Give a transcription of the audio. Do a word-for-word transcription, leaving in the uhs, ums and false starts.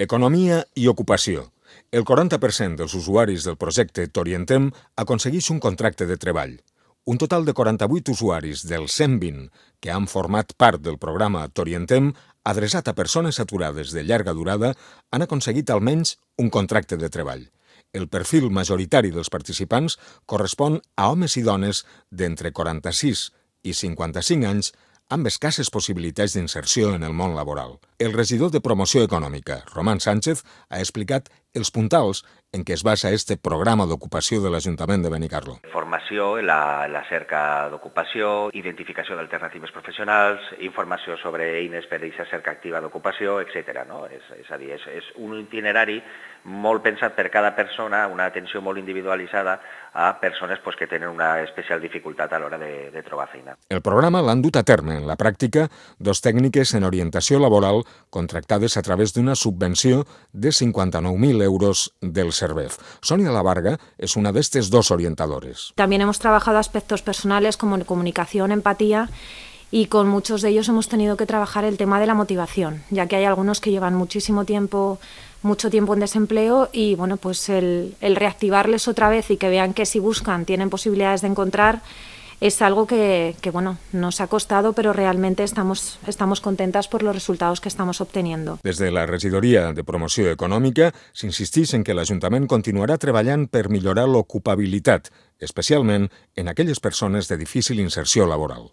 Economia i ocupació. El quaranta per cent dels usuaris del projecte T'Orientem aconsegueix un contracte de treball. Un total de quaranta-vuit usuaris dels cent vint que han format part del programa T'Orientem, adreçat a persones aturades de llarga durada, han aconseguit almenys un contracte de treball. El perfil majoritari dels participants correspon a homes i dones d'entre quaranta-sis i cinquanta-cinc anys amb escasses possibilitats d'inserció en el món laboral. El regidor de Promoció Econòmica, Román Sánchez, ha explicat els puntals en què es basa este programa d'ocupació de l'Ajuntament de Benicarló. Formació en la, la cerca d'ocupació, identificació d'alternatives professionals, informació sobre eines per a aquesta cerca activa d'ocupació, etcètera. No? És, és a dir, és, és un itinerari molt pensat per cada persona, una atenció molt individualitzada a persones pues, que tenen una especial dificultat a l'hora de, de trobar feina. El programa l'han dut a terme en la pràctica dos tècniques en orientació laboral contractades a través d'una subvenció de cinquanta-nou mil euros del Servef. Sonia Lavarga es una de estas dos orientadores. También hemos trabajado aspectos personales como comunicación, empatía, y con muchos de ellos hemos tenido que trabajar el tema de la motivación, ya que hay algunos que llevan muchísimo tiempo, mucho tiempo en desempleo y bueno, pues el, el reactivarles otra vez y que vean que si buscan tienen posibilidades de encontrar es algo que, que bueno, nos ha costado, pero realmente estamos, estamos contentas por los resultados que estamos obteniendo. Des de la Regidoria de Promoció Econòmica s'insisteix en que l'Ajuntament continuarà treballant per millorar l'ocupabilitat, especialment en aquelles persones de difícil inserció laboral.